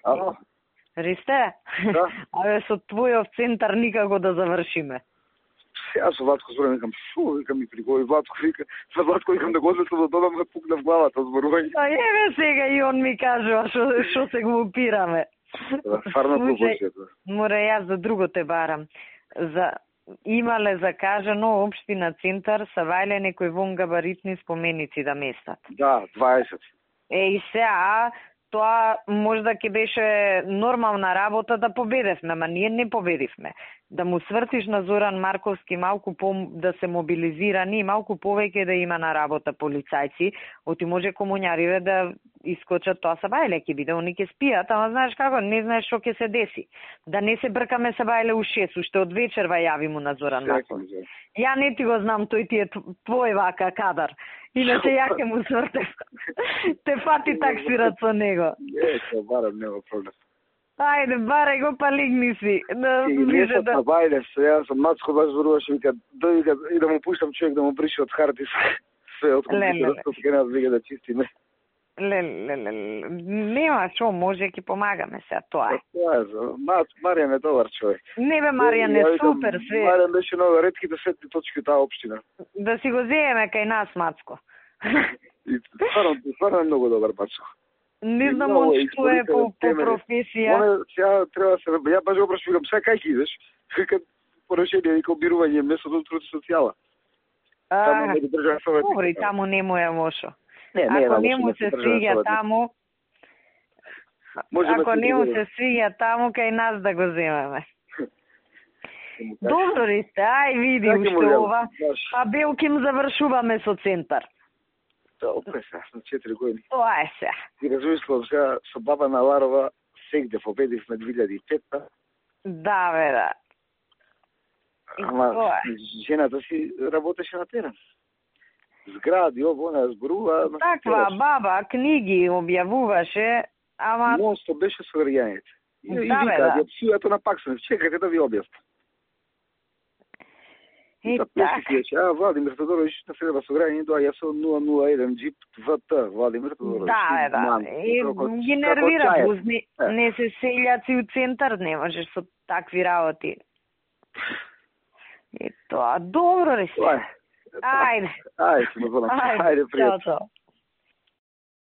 Ало? Ристе? Да. Абе, со твојов центар никако да завршиме. Јас со Владко зборам, викам, викам ми пригови Владко, за Владко викам да го однесам до дома, ме пукна в главата зборување. Еве сега и он ми кажува што се го упираме. Фарно пропозиција. Мора јас за друго те барам. Имале закажано општина центар са вајле некои вонгабаритни споменици да местат. Да, 20. И сега тоа можда ќе беше нормална работа да победевме, ама ние не победивме. Да му свртиш на Зоран Марковски малку да се мобилизирани и малку повеќе да има на работа полицајци, оти може комуњариве да искочат, тоа са бајле ќе биде, они ќе спијат, ама знаеш како, не знаеш што ќе се деси. Да не се бркаме са бајле у 6, уште од вечерва јави му на Зоран Марковски. Ја не ти го знам, тој ти е твој вака кадар. Иначе ја ќе му свртев. Те фати таксират со него. Не, ќе барам, нема проблем. Ајде, барај го, па лигни си. Не се бајле, јас сам Мацко баш зборуваше, вика, и да му пуштам човек да му брише од харти све од компјутерот, ќе нас вика да чистиме. Нема шо, може ќе помагаме сега, тоа е. Тоа е, Маријан е добар човек. Не бе, Маријан е супер све. Маријан беше много ретките светли точки таа општина. Да си го земеме кај нас, Мацко. И стварно е многу добар Мацко. Не знам он што е по професија. Сега треба се, ја баш го прашувам, сега кај ќе идеш? Вика порешение, вика обирување местото труд и социјала. Таму не држав советник. Добро, и таму не му е лошо. Не ако не му се свиѓа таму, ако не му се свиѓа таму, кај нас да го земеме. Добро, Ристе, ај види уште ова. А Белким завршуваме со центар. Тоа е сега, на 4 години. Тоа е сега. И размислам сега, со баба на Ларова, сегде победивме 2005-та. Да, бе, да. Ама жената си работеше на терен. Згради, она зборува. Таква баба, книги објавуваше, ама... Монсто беше со граѓаните. И вика, псујато на Паксанев, чекајте да ви објаснам. И така. Владимир Тодороvić на сега со граѓани доаѓа со 001 джип ВТ, Владимир Тодороvić. Да, да. И ги нервира, не се селјаци у центар, не можеш со такви работи. И тоа, добро ли се? Ајде. Ајде, пријатно. Чао.